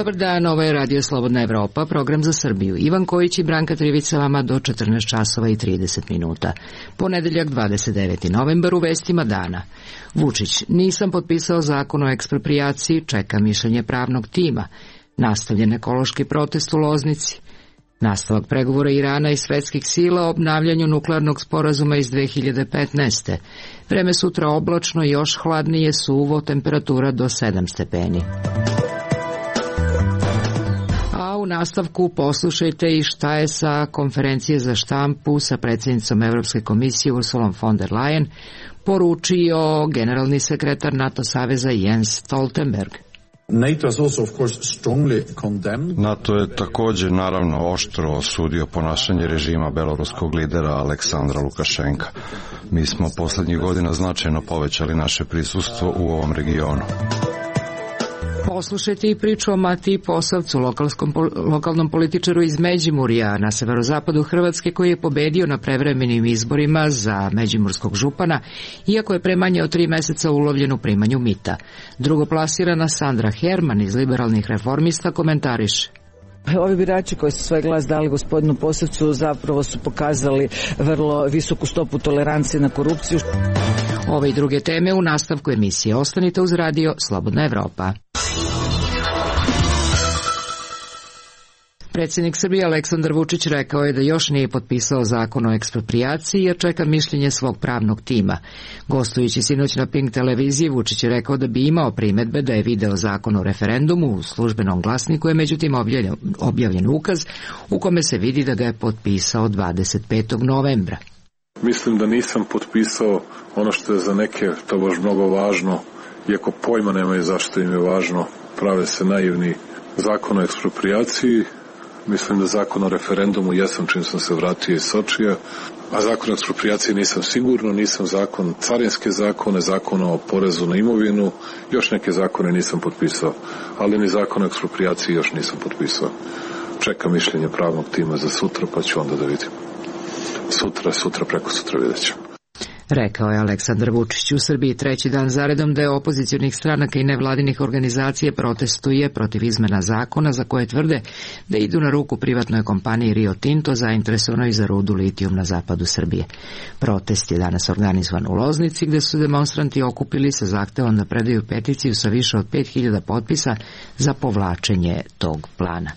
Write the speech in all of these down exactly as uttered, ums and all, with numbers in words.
Dobar dan, ovo je Radio Slobodna Evropa, program za Srbiju. Ivan Kojić i Branka Trivica vama do četrnaest časova i trideset minuta. Ponedeljak dvadeset deveti novembar u vestima dana. Vučić, nisam potpisao zakon o eksproprijaciji, čeka mišljenje pravnog tima. Nastavljen ekološki protest u Loznici. Nastavak pregovora Irana i svetskih sila o obnavljanju nuklearnog sporazuma iz dve hiljade petnaeste. Vreme sutra oblačno, još hladnije, suvo, temperatura do sedam stepeni. U nastavku poslušajte i šta je sa konferencije za štampu sa predsjednicom Evropske komisije Ursulom von der Leyen poručio generalni sekretar NATO saveza Jens Stoltenberg. NATO je također naravno oštro osudio ponašanje režima beloruskog lidera Aleksandra Lukašenka. Mi smo posljednjih godina značajno povećali naše prisustvo u ovom regionu. Poslušajte i priču o Matiji Posavcu, lokalnom političaru iz Međimurja na severozapadu Hrvatske, koji je pobedio na prevremenim izborima za međimurskog župana, iako je pre manje od tri meseca ulovljen u primanju mita. Drugoplasirana Sandra Herman iz Liberalnih reformista komentariše. Ovi birači koji su svoj glas dali gospodinu Posavcu zapravo su pokazali vrlo visoku stopu tolerancije na korupciju. Ove i druge teme u nastavku emisije. Ostanite uz Radio Slobodna Evropa. Predsjednik Srbije Aleksandar Vučić rekao je da još nije potpisao zakon o eksproprijaciji jer čeka mišljenje svog pravnog tima. Gostujući sinoć na Pink televiziji, Vučić je rekao da bi imao primedbe da je video zakon o referendumu u službenom glasniku, je međutim objavljen ukaz u kome se vidi da ga je potpisao dvadeset petog novembra. Mislim da nisam potpisao ono što je za neke tobož mnogo važno, iako pojma nemaju zašto im je važno, prave se naivni. Zakon o eksproprijaciji, mislim da zakon o referendumu jesam čim sam se vratio iz Sočija, a zakon o eksproprijaciji nisam sigurno, nisam zakon, carinske zakone, zakon o porezu na imovinu, još neke zakone nisam potpisao, ali ni zakon o eksproprijaciji još nisam potpisao. Čekam mišljenje pravnog tima za sutra, pa ću onda da vidim. Sutra, sutra, preko sutra vidjet ćemo. Rekao je Aleksandar Vučić. U Srbiji treći dan zaredom da je opozicionih stranaka i nevladinih organizacije protestuje protiv izmena zakona za koje tvrde da idu na ruku privatnoj kompaniji Rio Tinto zainteresovanoj za rudu litijum na zapadu Srbije. Protest je danas organizovan u Loznici, gde su demonstranti okupili sa zahtevom da predaju peticiju sa više od pet hiljada potpisa za povlačenje tog plana.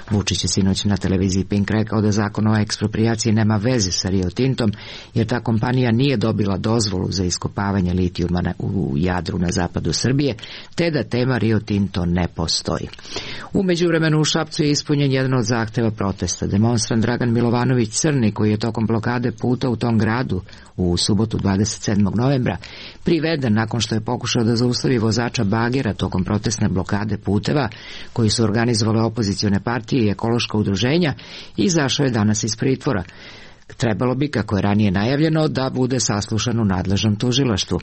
Vučić je sinoć na televiziji Pink rekao da zakon o eksproprijaciji nema veze sa Rio Tintom, jer ta kompanija nije dobila dozvolu za iskopavanje litijuma u Jadru na zapadu Srbije, te da tema Rio Tinto ne postoji. U međuvremenu u Šapcu je ispunjen jedan od zahteva protesta. Demonstrant Dragan Milovanović Crni, koji je tokom blokade puta u tom gradu u subotu dvadeset sedmog novembra priveden nakon što je pokušao da zaustavi vozača bagera tokom protestne blokade puteva koji su organizovale opozicione partije i ekološka udruženja, izašao je danas iz pritvora. Trebalo bi, kako je ranije najavljeno, da bude saslušan u nadležnom tužilaštvu.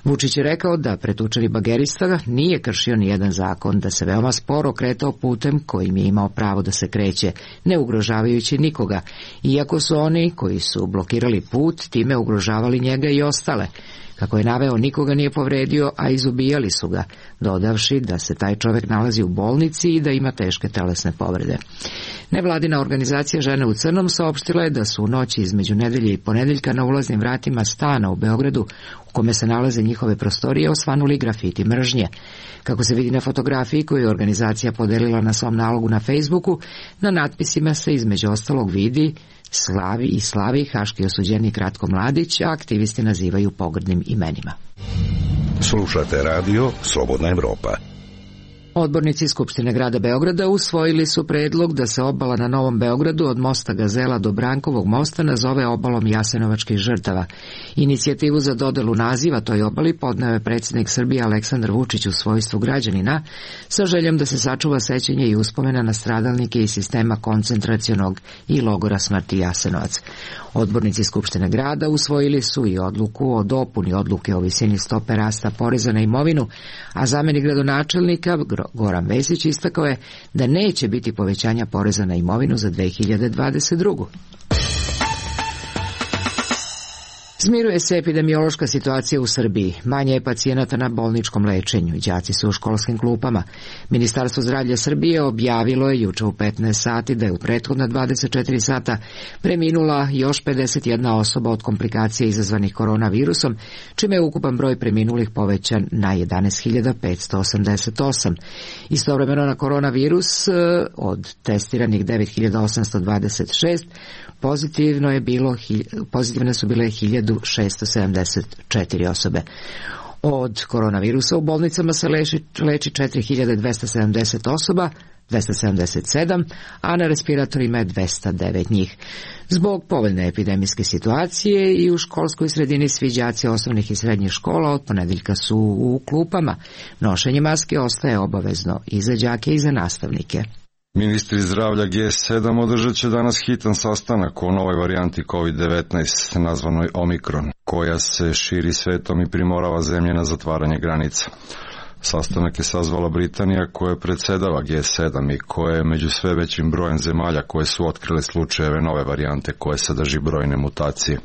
Vučić je rekao da pretučeni bagerista nije kršio nijedan zakon, da se veoma sporo kretao putem kojim je imao pravo da se kreće, ne ugrožavajući nikoga, iako su oni koji su blokirali put time ugrožavali njega i ostale. Kako je naveo, nikoga nije povredio, a izubijali su ga, dodavši da se taj čovjek nalazi u bolnici i da ima teške telesne povrede. Nevladina organizacija Žene u crnom saopštila je da su u noći između nedelje i ponedeljka na ulaznim vratima stana u Beogradu, u kome se nalaze njihove prostorije, osvanuli grafiti mržnje. Kako se vidi na fotografiji koju je organizacija podelila na svom nalogu na Facebooku, na natpisima se između ostalog vidi Slavi i Slavi, haški osuđenik Ratko Mladić, a aktivisti nazivaju pogrdnim imenima. Slušate radio Slobodna Evropa. Odbornici Skupštine grada Beograda usvojili su predlog da se obala na Novom Beogradu od mosta Gazela do Brankovog mosta nazove obalom Jasenovačkih žrtava. Inicijativu za dodelu naziva toj obali podneo je predsjednik Srbije Aleksandar Vučić u svojstvu građanina sa željom da se sačuva sećanje i uspomena na stradalnike iz sistema koncentracionog i logora smrti Jasenovac. Odbornici Skupštine grada usvojili su i odluku o dopuni odluke o visini stope rasta poreza na imovinu, a zamenik gradonačelnika Goran Vesić istakao je da neće biti povećanja poreza na imovinu za dve hiljade dvadeset drugu. Smiruje se epidemiološka situacija u Srbiji. Manje je pacijenata na bolničkom lečenju. Đaci su u školskim klupama. Ministarstvo zdravlja Srbije objavilo je juče u petnaest sati da je u prethodna dvadeset četiri sata preminula još pedeset jedna osoba od komplikacija izazvanih koronavirusom, čime je ukupan broj preminulih povećan na jedanaest hiljada petsto osamdeset osam. Istovremeno na koronavirus od testiranih devet hiljada osamsto dvadeset šest pozitivno je bilo, pozitivne su bile hiljadu šessto sedamdeset četiri osobe. Od koronavirusa u bolnicama se leči, leči četiri hiljade dvesta sedamdeset osoba, dvesta sedamdeset sedam, a na respiratorima je dvesta devet njih. Zbog povoljne epidemijske situacije i u školskoj sredini svi đaci osnovnih i srednjih škola od ponedeljka su u klupama. Nošenje maske ostaje obavezno i za đake i za nastavnike. Ministri zdravlja G sedam održat će danas hitan sastanak o novoj varijanti kovid devetnaest, nazvanoj Omikron, koja se širi svetom i primorava zemlje na zatvaranje granica. Sastanak je sazvala Britanija koja predsedava G sedam i koja je među sve većim brojem zemalja koje su otkrile slučajeve nove varijante koje sadrži brojne mutacije.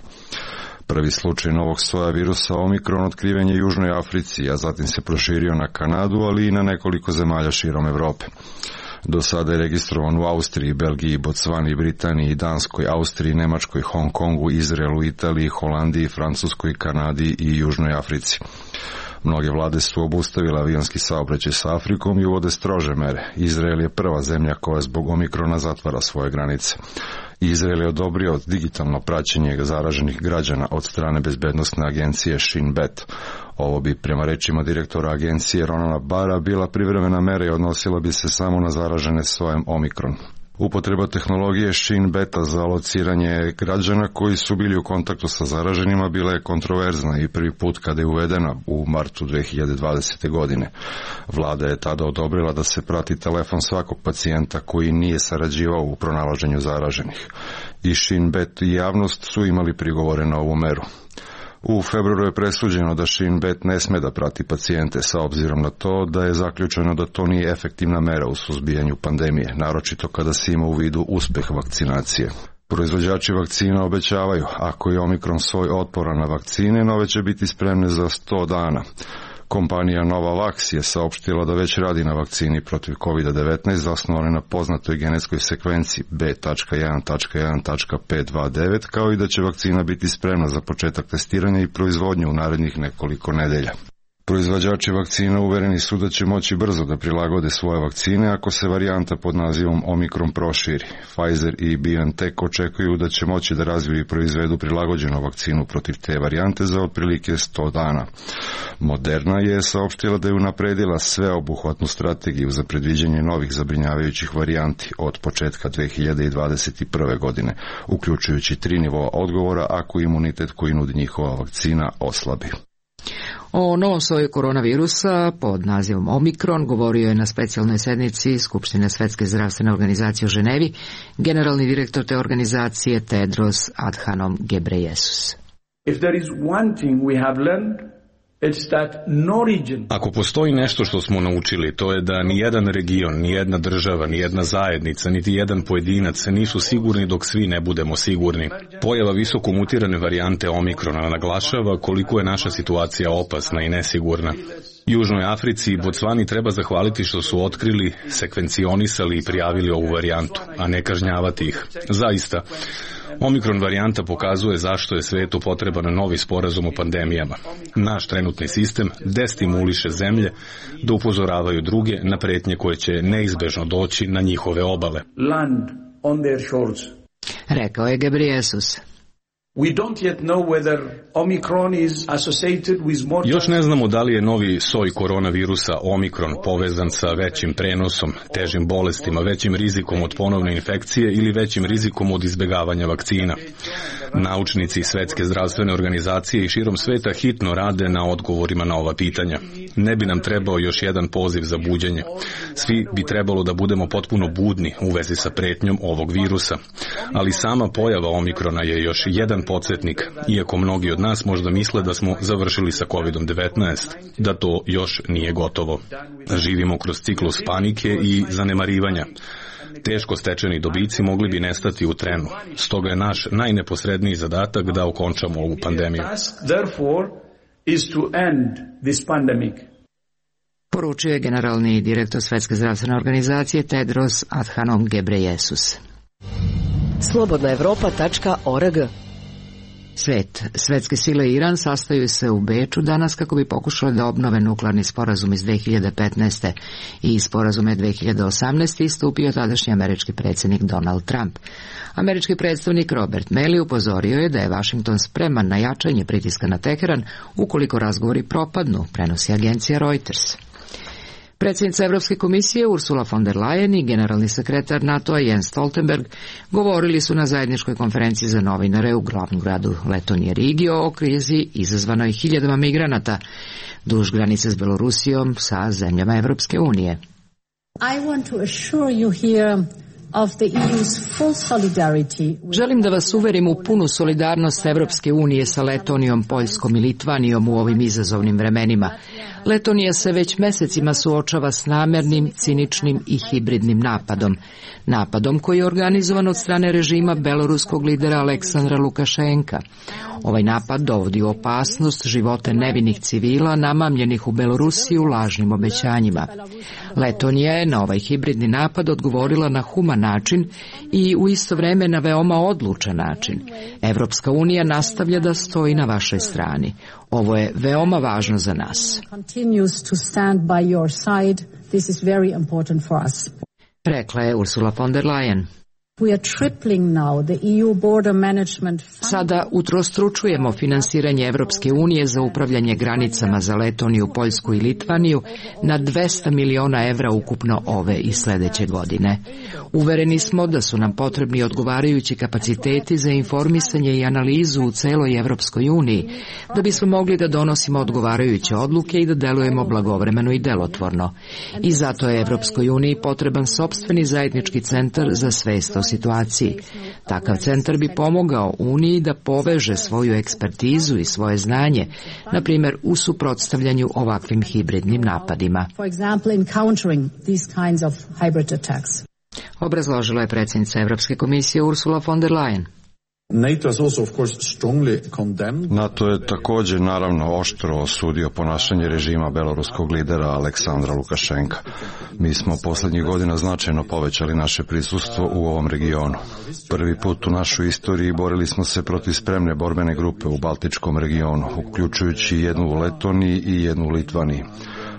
Prvi slučaj novog soja virusa Omikron otkriven je u Južnoj Africi, a zatim se proširio na Kanadu, ali i na nekoliko zemalja širom Evrope. Do sada je registrovan u Austriji, Belgiji, Bocvani, Britaniji, Danskoj, Austriji, Nemačkoj, Hong Kongu, Izraelu, Italiji, Holandiji, Francuskoj, Kanadi i Južnoj Africi. Mnoge vlade su obustavile avionski saobraćaj sa Afrikom i uvode strože mere. Izrael je prva zemlja koja zbog Omikrona zatvara svoje granice. Izrael je odobrio digitalno praćenje zaraženih građana od strane bezbednosne agencije Shin Bet. Ovo bi, prema rečima direktora agencije Ronalda Barra, bila privremena mera i odnosila bi se samo na zaražene sojem Omikron. Upotreba tehnologije Shin Beta za lociranje građana koji su bili u kontaktu sa zaraženima bila je kontroverzna i prvi put kada je uvedena u martu dve hiljade dvadesete. godine. Vlada je tada odobrila da se prati telefon svakog pacijenta koji nije sarađivao u pronalaženju zaraženih. I Shin Bet i javnost su imali prigovore na ovu meru. U februaru je presuđeno da Shin Bet ne sme da prati pacijente sa obzirom na to da je zaključeno da to nije efektivna mera u suzbijanju pandemije, naročito kada se ima u vidu uspeh vakcinacije. Proizvođači vakcina obećavaju, ako je Omikron soj otporan na vakcine, nove će biti spremne za sto dana. Kompanija Novavax je saopštila da već radi na vakcini protiv kovid devetnaest zasnovane na poznatoj genetskoj sekvenciji B jedan jedan pet dva devet, kao i da će vakcina biti spremna za početak testiranja i proizvodnje u narednih nekoliko nedelja. Proizvođači vakcina uvereni su da će moći brzo da prilagode svoje vakcine ako se varijanta pod nazivom Omikron proširi. Pfizer i BioNTech očekuju da će moći da razviju i proizvedu prilagođenu vakcinu protiv te varijante za otprilike sto dana. Moderna je saopštila da je unapredila sveobuhvatnu strategiju za predviđanje novih zabrinjavajućih varijanti od početka dve hiljade dvadeset prve. godine, uključujući tri nivoa odgovora ako imunitet koji nudi njihova vakcina oslabi. O novom soju koronavirusa pod nazivom Omikron govorio je na specijalnoj sednici Skupštine Svetske zdravstvene organizacije u Ženevi generalni direktor te organizacije Tedros Adhanom Ghebreyesus. If there is one thing we have learned, it's that no region... Ako postoji nešto što smo naučili, to je da ni jedan region, ni jedna država, ni jedna zajednica, niti jedan pojedinac nisu sigurni dok svi ne budemo sigurni. Pojava visoko mutirane varijante Omikrona naglašava koliko je naša situacija opasna i nesigurna. Južnoj Africi i Bocvani treba zahvaliti što su otkrili, sekvencionisali i prijavili ovu varijantu, a ne kažnjavati ih. Zaista, Omikron varijanta pokazuje zašto je svetu potreban novi sporazum o pandemijama. Naš trenutni sistem destimuliše zemlje da upozoravaju druge na pretnje koje će neizbežno doći na njihove obale. Land on their shores. Rekao je Ghebreyesus. We don't yet know whether Omicron is associated with more... Još ne znamo da li je novi soj koronavirusa Omikron povezan sa većim prenosom, težim bolestima, većim rizikom od ponovne infekcije ili većim rizikom od izbjegavanja vakcina. Naučnici Svetske zdravstvene organizacije i širom sveta hitno rade na odgovorima na ova pitanja. Ne bi nam trebao još jedan poziv za buđenje. Svi bi trebalo da budemo potpuno budni u vezi sa pretnjom ovog virusa. Ali sama pojava Omikrona je još jedan podsjetnik, iako mnogi od nas možda misle da smo završili sa kovid devetnaest, da to još nije gotovo. Živimo kroz ciklus panike i zanemarivanja. Teško stečeni dobici mogli bi nestati u trenu. Stoga je naš najneposredniji zadatak da okončamo ovu pandemiju. Poručio je generalni direktor Svetske zdravstvene organizacije Tedros Adhanom Ghebreyesus. slobodna evropa tačka org. Svet. Svetske sile i Iran sastaju se u Beču danas kako bi pokušale da obnove nuklearni sporazum iz dve hiljade petnaeste. i sporazume dve hiljade osamnaeste. istupio tadašnji američki predsjednik Donald Trump. Američki predstavnik Robert Malley upozorio je da je Washington spreman na jačanje pritiska na Teheran ukoliko razgovori propadnu, prenosi agencija Reuters. Predsjednica Evropske komisije Ursula von der Leyen i generalni sekretar NATO-a Jens Stoltenberg govorili su na zajedničkoj konferenciji za novinare u glavnom gradu Letonije Rigi o krizi izazvanoj hiljadama migranata duž granice s Belorusijom sa zemljama Evropske unije. I want to assure you here of the E U's full solidarity. Želim da vas uverim u punu solidarnost Evropske unije sa Letonijom, Poljskom i Litvanijom u ovim izazovnim vremenima. Letonija se već mesecima suočava s namernim, ciničnim i hibridnim napadom. Napadom koji je organizovan od strane režima beloruskog lidera Aleksandra Lukašenka. Ovaj napad dovodi u opasnost živote nevinih civila namamljenih u Belorusiju lažnim obećanjima. Letonija je na ovaj hibridni napad odgovorila na human način i u isto vreme na veoma odlučan način. Evropska unija nastavlja da stoji na vašoj strani. Ovo je veoma važno za nas. Rekla je Ursula von der Leyen. Sada utrostručujemo finansiranje Evropske unije za upravljanje granicama za Letoniju, Poljsku i Litvaniju na dvesta miliona evra ukupno ove i sledeće godine. Uvereni smo da su nam potrebni odgovarajući kapaciteti za informisanje i analizu u celoj Evropskoj uniji, da bismo mogli da donosimo odgovarajuće odluke i da delujemo blagovremeno i delotvorno. I zato je Evropskoj uniji potreban sopstveni zajednički centar za svest o situaciji. Takav centar bi pomogao Uniji da poveže svoju ekspertizu i svoje znanje, na primjer u suprotstavljanju ovakvim hibridnim napadima. Obrazložila je predsjednica Evropske komisije Ursula von der Leyen. NATO je također naravno oštro osudio ponašanje režima beloruskog lidera Aleksandra Lukašenka. Mi smo posljednjih godina značajno povećali naše prisustvo u ovom regionu. Prvi put u našoj istoriji borili smo se protiv spremne borbene grupe u Baltičkom regionu, uključujući jednu u Letoniji i jednu u Litvaniji.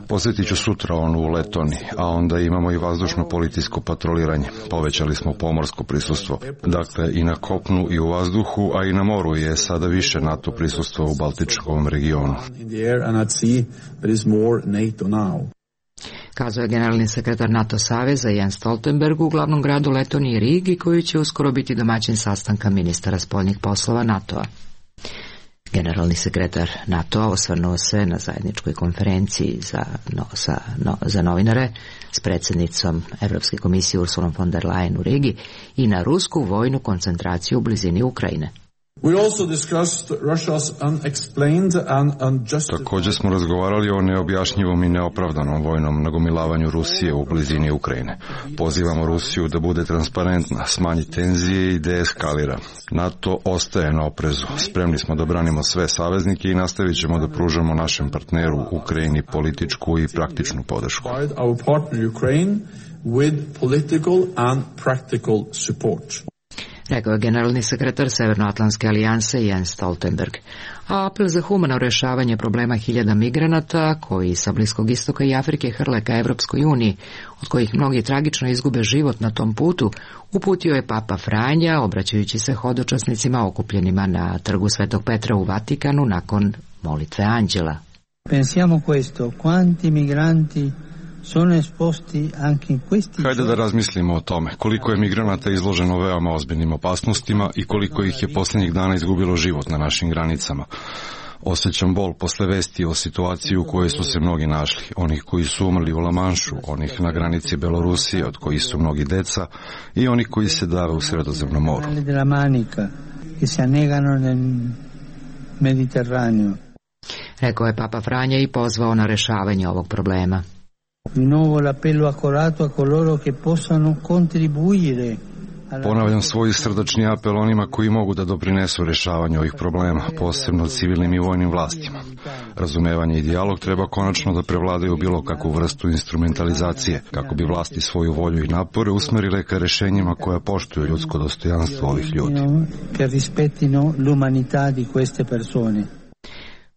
Posjetit ću sutra onu u Letoniji, a onda imamo i vazdušno policijsko patroliranje. Povećali smo pomorsko prisustvo. Dakle, i na kopnu i u vazduhu, a i na moru je sada više NATO prisustvo u Baltičkom regionu. Kazao je generalni sekretar NATO saveza Jens Stoltenberg u glavnom gradu Letonije Rigi, koji će uskoro biti domaćin sastanka ministara spoljnih poslova NATO-a. Generalni sekretar NATO-a osvrnuo se na zajedničkoj konferenciji za, no, sa, no, za novinare s predsjednicom Evropske komisije Ursulom von der Leyen u Rigi i na rusku vojnu koncentraciju u blizini Ukrajine. Također smo razgovarali o neobjašnjivom i neopravdanom vojnom nagomilavanju Rusije u blizini Ukrajine. Pozivamo Rusiju da bude transparentna, smanji tenzije i deeskalira. NATO ostaje na oprezu. Spremni smo da branimo sve saveznike i nastavit ćemo da pružamo našem partneru Ukrajini političku i praktičnu podršku. Rekao je generalni sekretar Severnoatlantske alijanse Jens Stoltenberg. A apel za humano rješavanje problema hiljada migranata koji sa Bliskog istoka i Afrike hrle ka Evropskoj uniji, od kojih mnogi tragično izgube život na tom putu, uputio je Papa Franja, obraćajući se hodočasnicima okupljenima na trgu Svetog Petra u Vatikanu nakon molitve anđela. Pensiamo questo, quanti migranti sono esposti anche in questi. Hajde da razmislimo o tome, koliko je migranata izloženo veoma ozbiljnim opasnostima i koliko ih je posljednjih dana izgubilo život na našim granicama. Osjećam bol posle vesti o situaciji u kojoj su se mnogi našli, onih koji su umrli u Lamanšu, onih na granici Belorusije, od kojih su mnogi deca, i onih koji se dave u Sredozemnom moru. Rekao je Papa Franja i pozvao na rješavanje ovog problema. Di nuovo l'appello accorato a coloro che possano contribuire. Ponavljam svoj srdačni apel onima koji mogu da doprinesu rešavanju ovih problema, posebno civilnim i vojnim vlastima. Razumevanje i dijalog treba konačno da prevladaju bilo kakvu vrstu instrumentalizacije, kako bi vlasti svoju volju i napore usmerile ka rešenjima koja poštuju ljudsko dostojanstvo ovih ljudi. Che rispettino l'umanità di queste persone.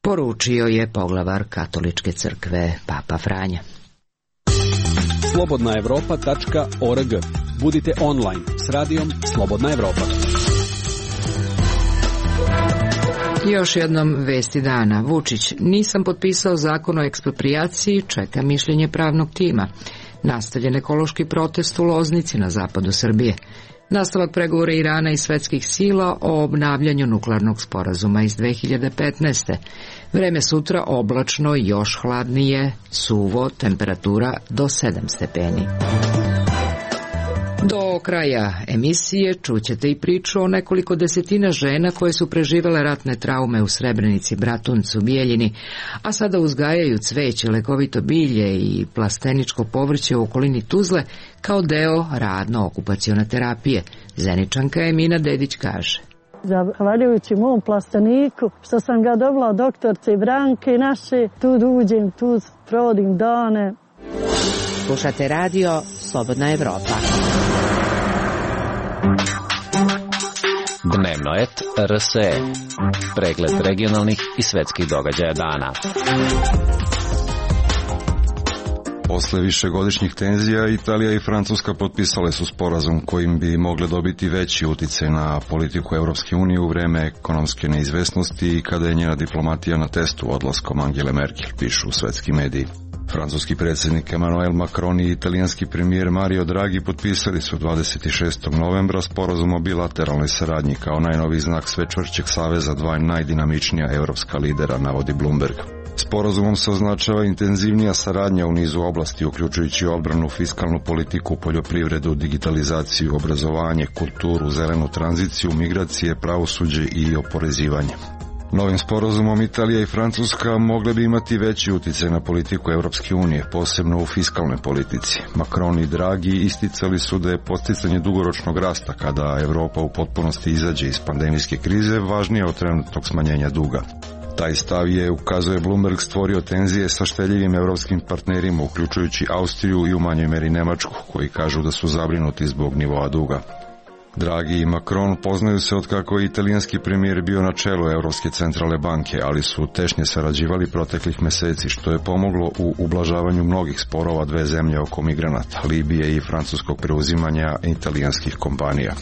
Poručio je poglavar Katoličke crkve Papa Franja. slobodna evropa tačka org. Budite online s radijom Slobodna Evropa. Još jednom vesti dana. Vučić: nisam potpisao zakon o eksproprijaciji, čeka mišljenje pravnog tima. Nastavljen ekološki protest u Loznici na zapadu Srbije. Nastavak pregovora Irana i svetskih sila o obnavljanju nuklearnog sporazuma iz dve hiljade petnaeste. Vreme sutra oblačno, još hladnije, suvo, temperatura do sedam stepeni. Do kraja emisije čućete i priču o nekoliko desetina žena koje su preživele ratne traume u Srebrenici, Bratuncu, Bijeljini, a sada uzgajaju cveće, lekovito bilje i plasteničko povrće u okolini Tuzle kao deo radno-okupacione terapije. Zeničanka Emina Dedić kaže: zahvaljujući mom plasteniku, što sam ga dobila od doktorce Branke naše, tu uđem, tu provodim dane. Slušate radio Slobodna Evropa. Dnevno et R S E. Pregled regionalnih i svetskih događaja dana. Posle višegodišnjih tenzija, Italija i Francuska potpisale su sporazum kojim bi mogle dobiti veći uticaj na politiku Evropske unije u vreme ekonomske neizvesnosti i kada je njena diplomatija na testu odlaskom Angele Merkel, pišu svetski mediji. Francuski predsjednik Emmanuel Macron i italijanski premijer Mario Draghi potpisali su dvadeset šestog novembra sporazum o bilateralnoj saradnji kao najnoviji znak sve čvršćeg saveza dva najdinamičnija evropska lidera, navodi Bloomberg. Sporazumom se označava intenzivnija saradnja u nizu oblasti, uključujući odbranu, fiskalnu politiku, poljoprivredu, digitalizaciju, obrazovanje, kulturu, zelenu tranziciju, migracije, pravosuđe i oporezivanje. Novim sporazumom Italija i Francuska mogle bi imati veći uticaj na politiku Evropske unije, posebno u fiskalnoj politici. Macron i Draghi isticali su da je posticanje dugoročnog rasta kada Evropa u potpunosti izađe iz pandemijske krize važnije od trenutnog smanjenja duga. Taj stav je, ukazuje Bloomberg, stvorio tenzije sa šteljivim evropskim partnerima, uključujući Austriju i u manjoj meri Nemačku, koji kažu da su zabrinuti zbog nivoa duga. Draghi i Macron poznaju se od kako je italijanski premijer bio na čelu Evropske centralne banke, ali su tešnje sarađivali proteklih meseci, što je pomoglo u ublažavanju mnogih sporova dve zemlje oko migranata, Libije i francuskog preuzimanja italijanskih kompanija.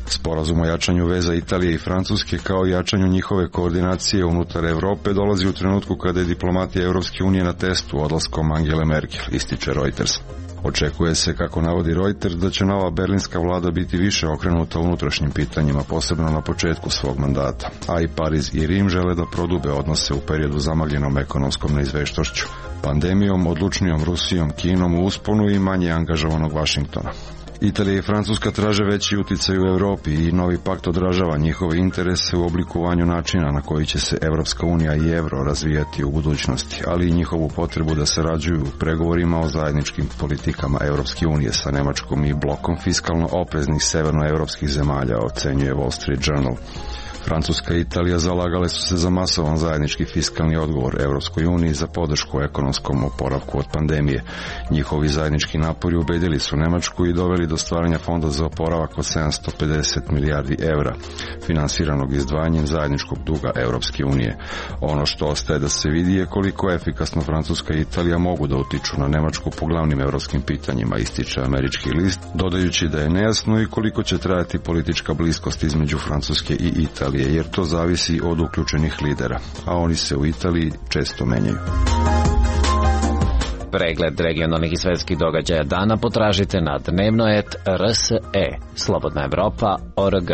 Sporazum o jačanju veza Italije i Francuske kao i jačanju njihove koordinacije unutar Evrope dolazi u trenutku kada je diplomatija Evropske unije na testu odlaskom Angele Merkel, ističe Reuters. Očekuje se, kako navodi Reuters, da će nova berlinska vlada biti više okrenuta unutrašnjim pitanjima, posebno na početku svog mandata, a i Pariz i Rim žele da prodube odnose u periodu zamagljenom ekonomskom neizveštošću, pandemijom, odlučnijom Rusijom, Kinom u usponu i manje angažovanog Vašingtona. Italija i Francuska traže veći uticaj u Evropi i novi pakt odražava njihove interese u oblikovanju načina na koji će se Evropska unija i evro razvijati u budućnosti, ali i njihovu potrebu da sarađuju u pregovorima o zajedničkim politikama Evropske unije sa Nemačkom i blokom fiskalno opreznih severnoevropskih zemalja, ocenjuje Wall Street Journal. Francuska i Italija zalagale su se za masovan zajednički fiskalni odgovor Evropskoj uniji za podršku ekonomskom oporavku od pandemije. Njihovi zajednički napori ubedili su Nemačku i doveli do stvaranja fonda za oporavak od sedamsto pedeset milijardi evra, finansiranog izdvajanjem zajedničkog duga Evropske unije. Ono što ostaje da se vidi je koliko efikasno Francuska i Italija mogu da utiču na Nemačku po glavnim evropskim pitanjima, ističe američki list, dodajući da je nejasno i koliko će trajati politička bliskost između Francuske i Italije, jer to zavisi od uključenih lidera, a oni se u Italiji često menjaju. Pregled regionalnih i svetskih događaja dana potražite na dnevno et R S E, Slobodna Evropa tačka org.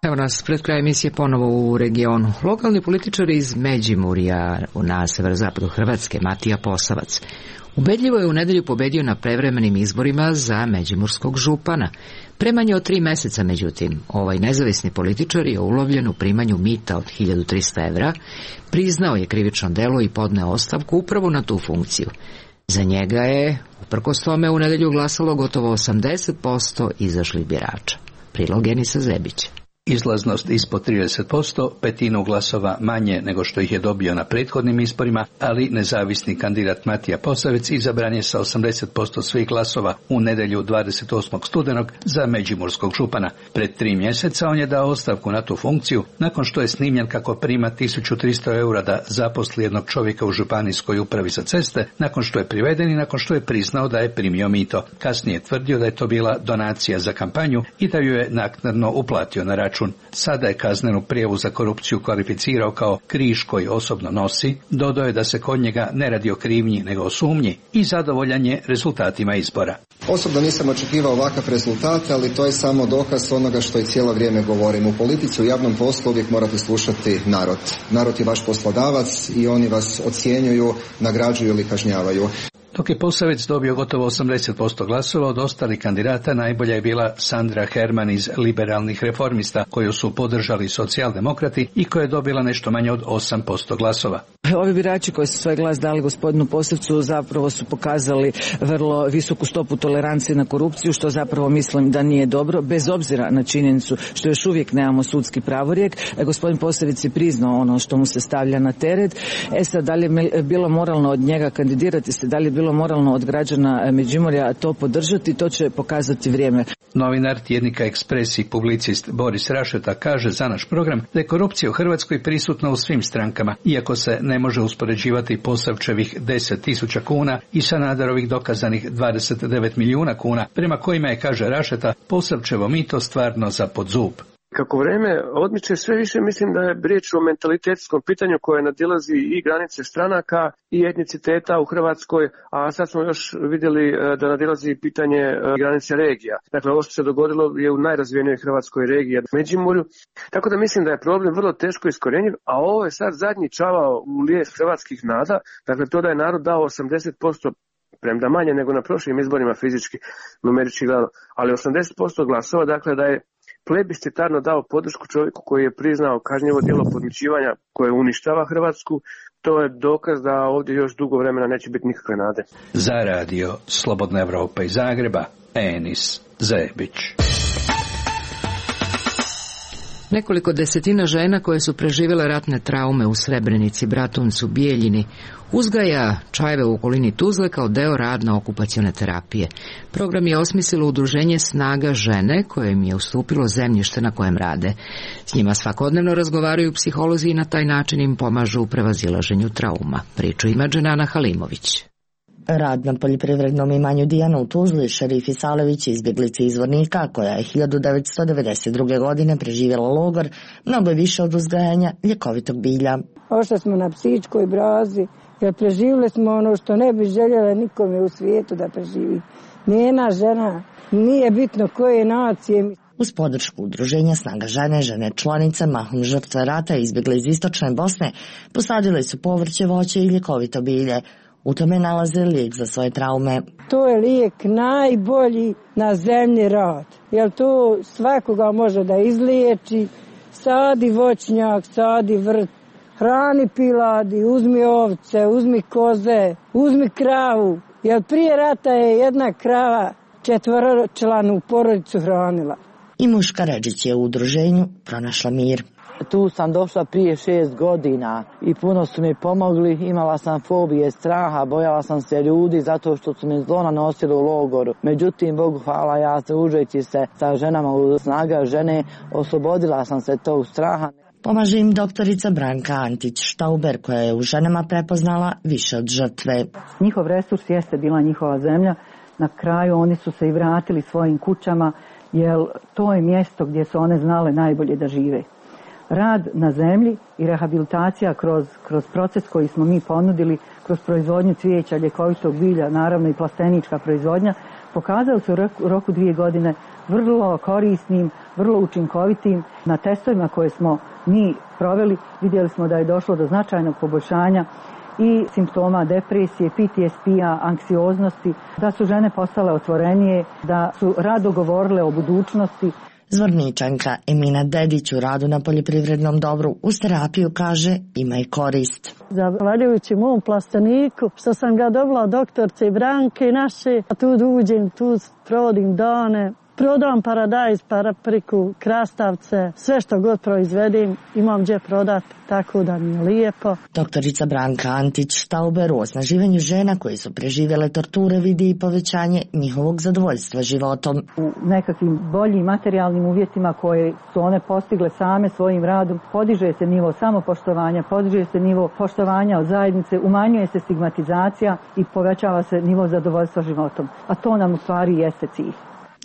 Evo nas pred kraj emisije ponovo u regionu. Lokalni političar iz Međimurja na severozapadu Hrvatske, Matija Posavac, Ubedljivo je u nedelju pobedio na prevremenim izborima za međimurskog župana. Pre manje od tri meseca, međutim, ovaj nezavisni političar je ulovljen u primanju mita od hiljadu trista evra, priznao je krivično delo i podneo ostavku upravo na tu funkciju. Za njega je, uprkos tome, u nedelju glasalo gotovo osamdeset posto izašlih birača. Prilog Enisa Zebića. Izlaznost ispod trideset posto, petinu glasova manje nego što ih je dobio na prethodnim izborima, ali nezavisni kandidat Matija Posavec izabran je sa osamdeset posto svih glasova u nedelju dvadeset osmog studenog za međimurskog župana. Pred tri mjeseca on je dao ostavku na tu funkciju nakon što je snimljen kako prima tisuću tristo eura da zaposli jednog čovjeka u županijskoj upravi za ceste, nakon što je priveden i nakon što je priznao da je primio mito. Kasnije je tvrdio da je to bila donacija za kampanju i da ju je naknadno uplatio na račun. Sada je kaznenu prijavu za korupciju kvalificirao kao križ koji osobno nosi, dodao je da se kod njega ne radi o krivnji nego o sumnji i zadovoljan je rezultatima izbora. Osobno nisam očekivao ovakav rezultat, ali to je samo dokaz onoga što i cijelo vrijeme govorim. U politici, u javnom poslu uvijek morate slušati narod. Narod je vaš poslodavac i oni vas ocjenjuju, nagrađuju ili kažnjavaju. Dok je Posavec dobio gotovo osamdeset posto glasova, od ostalih kandidata najbolja je bila Sandra Herman iz Liberalnih reformista, koju su podržali socijaldemokrati i koja je dobila nešto manje od osam posto glasova. Ovi birači koji su svoj glas dali gospodinu Posavcu zapravo su pokazali vrlo visoku stopu tolerancije na korupciju, što zapravo mislim da nije dobro, bez obzira na činjenicu što još uvijek nemamo sudski pravorijek. Gospodin Posavec je priznao ono što mu se stavlja na teret. E sad, da li je bilo moralno od njega kandidirati se, da li je bilo moralno od građana Međimurja to podržati, to će pokazati vrijeme. Novinar tjednika Ekspres i publicist Boris Rašeta kaže za naš program da je korupcija u Hrvatskoj prisutna u svim strankama, iako se ne može uspoređivati Posavčevih deset tisuća kuna i Sanaderovih dokazanih dvadeset devet milijuna kuna, prema kojima je, kaže Rašeta, Posavčevo mito stvarno za pod zub. Kako vreme odmiče, sve više mislim da je riječ o mentalitetskom pitanju koje nadilazi i granice stranaka i etniciteta u Hrvatskoj, a sad smo još vidjeli da nadilazi pitanje granice regija. Dakle, ovo što se dogodilo je u najrazvijenijoj hrvatskoj regiji, Međimurju. Tako da mislim da je problem vrlo teško iskorjenjiv, a ovo je sad zadnji čavao u lijes hrvatskih nada. Dakle, to da je narod dao osamdeset posto, premda manje nego na prošlim izborima fizički, numerički gledano, ali osamdeset posto glasova, dakle da je plebiscitarno dao podršku čovjeku koji je priznao kažnjivo djelo podmićivanja koje uništava Hrvatsku. To je dokaz da ovdje još dugo vremena neće biti nikakve nade. Za radio Slobodna Evropa iz Zagreba, Enis Zebić. Nekoliko desetina žena koje su preživjele ratne traume u Srebrenici, Bratuncu, Bijeljini uzgaja čajeve u okolini Tuzle kao deo radno-okupacione terapije. Program je osmislilo udruženje Snaga žene koje im je ustupilo zemljište na kojem rade. S njima svakodnevno razgovaraju psiholozi i na taj način im pomažu u prevazilaženju trauma. Priču ima Dženana Halimović. Rad na poljoprivrednom imanju Dijana u Tuzli, Šerif Isalević, izbjeglica izvornika, koja je hiljadu devetsto devedeset druge. godine preživjela logor, mnogo je više od uzgajanja ljekovitog bilja. Ošli smo na psičkoj brazi, jer preživjeli smo ono što ne bi željela nikome u svijetu da preživi. Nijena žena, nije bitno koje nacije. Uz podršku udruženja Snaga žene, žene članice, mahom žrtve rata izbjegle iz istočne Bosne, posadile su povrće, voće i ljekovito bilje. U tome nalaze lijek za svoje traume. To je lijek najbolji na zemlji rad, jer to svakoga može da izliječi. Sadi voćnjak, sadi vrt, hrani piladi, uzmi ovce, uzmi koze, uzmi kravu. Jer prije rata je jedna krava četvoročlanu porodicu hranila. I Muška Ređić je u udruženju pronašla mir. Tu sam došla prije šest godina i puno su mi pomogli, imala sam fobije, straha, bojala sam se ljudi zato što su mi zlo nanosili u logoru. Međutim, Bogu hvala, ja se užeći se sa ženama u Snaga žene, oslobodila sam se tog straha. Pomaže im doktorica Branka Antić-Štauber, koja je u ženama prepoznala više od žrtve. Njihov resurs jeste bila njihova zemlja. Na kraju oni su se i vratili svojim kućama, jer to je mjesto gdje su one znale najbolje da žive. Rad na zemlji i rehabilitacija kroz, kroz proces koji smo mi ponudili, kroz proizvodnju cvijeća, ljekovitog bilja, naravno i plastenička proizvodnja, pokazao se u roku dvije godine vrlo korisnim, vrlo učinkovitim. Na testovima koje smo mi proveli vidjeli smo da je došlo do značajnog poboljšanja i simptoma depresije, P T S P-a, anksioznosti, da su žene postale otvorenije, da su rado govorile o budućnosti. Zvorničanka Emina Dedić u radu na poljoprivrednom dobru uz terapiju kaže ima i korist. Zahvaljujući mom plasteniku što sam ga dobila od doktorce Branke naše, a tu uđem, tu provodim dane. Prodam paradajz, papriku, krastavce, sve što god proizvedim imam gdje prodat, tako da mi je lijepo. Doktorica Branka Antić-Štauber u osnaživanju žena koji su preživjele torture vidi i povećanje njihovog zadovoljstva životom. U nekakvim boljim materijalnim uvjetima koje su one postigle same svojim radom, podiže se nivo samopoštovanja, podiže se nivo poštovanja od zajednice, umanjuje se stigmatizacija i povećava se nivo zadovoljstva životom. A to nam u stvari jeste cilj.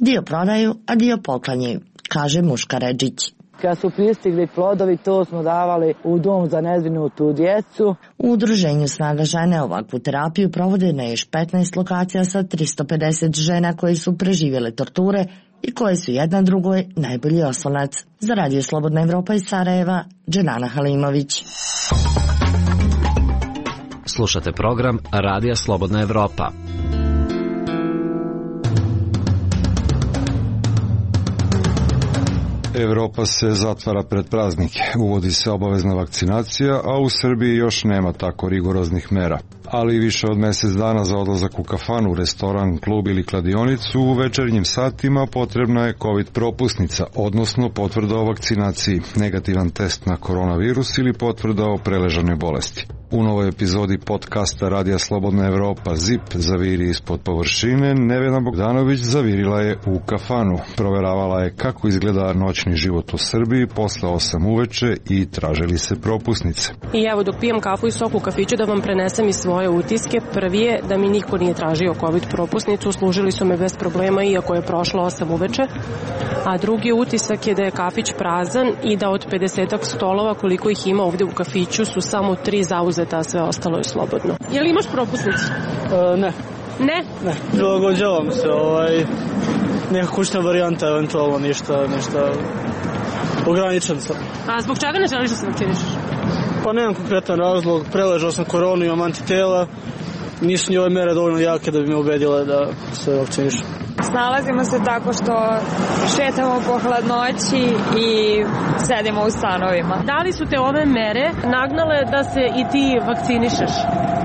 Dio prodaju, a dio poklanjaju, kaže Muška Redžić. Kad su pristigli plodovi, to smo davali u dom za nezbrinutu djecu. U udruženju Snaga žene ovakvu terapiju provode na još petnaest lokacija sa tristo pedeset žena koji su preživjele torture i koje su jedna drugoj najbolji oslonac. Za Radio Slobodna Evropa iz Sarajeva, Dženana Halimović. Slušate program Radija Slobodna Evropa. Evropa se zatvara pred praznike, uvodi se obavezna vakcinacija, a u Srbiji još nema tako rigoroznih mera. Ali više od mjesec dana za odlazak u kafanu, restoran, klub ili kladionicu u večernjim satima potrebna je COVID propusnica, odnosno potvrda o vakcinaciji, negativan test na koronavirus ili potvrda o preležanoj bolesti. U novoj epizodi podcasta Radija Slobodna Evropa ZIP zaviri ispod površine, Nevena Bogdanović zavirila je u kafanu. Proveravala je kako izgleda noćni život u Srbiji posle osam uveče i tražili se propusnice. I evo dok pijem kafu i sok u kafiću da vam prenesem i svoje utiske. Prvi je da mi niko nije tražio COVID propusnicu, služili su me bez problema iako je prošlo osam uveče. A drugi utisak je da je kafić prazan i da od pedesetak stolova koliko ih ima ovdje u kafiću su samo tri zauzeta, a sve ostalo je slobodno. Je li imaš propusnicu? E, ne. Ne? Ne, prilagođavam se, ovaj, neka kućna varijanta, eventualno ništa, ništa ograničen sam. A zbog čega ne želiš da se vakcinišeš? Pa nemam konkretan razlog, preležao sam koronu, imam antitela, nisu ni ove mere dovoljno jake da bi me ubedile da se vakcinišem. Snalazimo se tako što šetamo po hladnoći i sedimo u stanovima. Da li su te ove mere nagnale da se i ti vakcinišeš?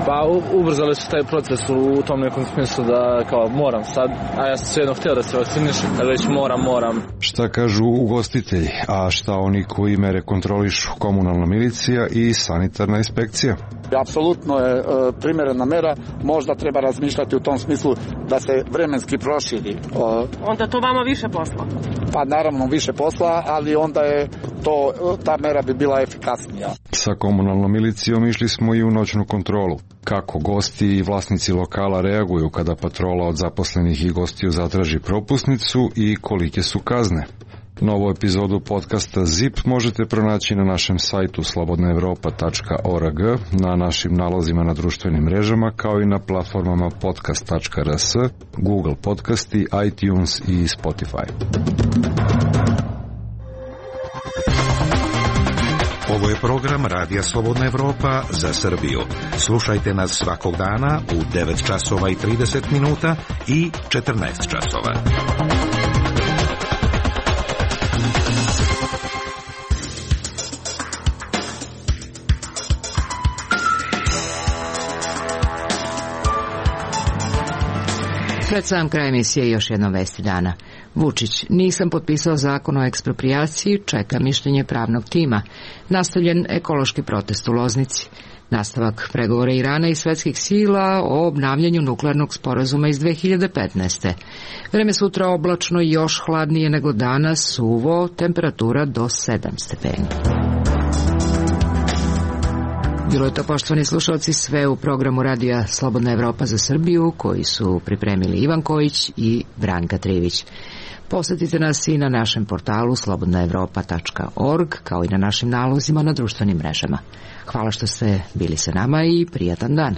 Pa ubrzali su taj proces u tom nekom smislu da kao moram sad, a ja sam svejedno htio da se vakcinišem, da već moram, moram. Šta kažu ugostitelji, a šta oni koji mere kontrolišu? Komunalna milicija i sanitarna inspekcija. Apsolutno je e, primjerena mera, možda treba razmišljati u tom smislu da se vremenski proširi. E, onda to vama više posla? Pa naravno više posla, ali onda je to, ta mera bi bila efikasnija. Sa komunalnom milicijom išli smo i u noćnu kontrolu. Kako gosti i vlasnici lokala reaguju kada patrola od zaposlenih i gostiju zatraži propusnicu i kolike su kazne. Novu epizodu podcasta ZIP možete pronaći na našem sajtu slobodna evropa tačka org, na našim nalozima na društvenim mrežama, kao i na platformama podcast tačka rs, Google Podcasti, iTunes i Spotify. Ovo je program Radija Slobodna Evropa za Srbiju. Slušajte nas svakog dana u devet časova i trideset minuta i četrnaest časova. Pred sam kraj emisije još jedno vesti dana. Vučić, nisam potpisao zakon o eksproprijaciji, čeka mišljenje pravnog tima. Nastavljen ekološki protest u Loznici. Nastavak pregovora Irana i svetskih sila o obnavljanju nuklearnog sporazuma iz dve hiljade petnaeste. Vreme sutra oblačno i još hladnije nego danas, suvo, temperatura do sedam stepeni. Bilo je to, poštovani slušalci, sve u programu Radija Slobodna Evropa za Srbiju, koji su pripremili Ivan Kojić i Branka Trivić. Posjetite nas i na našem portalu slobodna evropa tačka org, kao i na našim nalozima na društvenim mrežama. Hvala što ste bili sa nama i prijatan dan.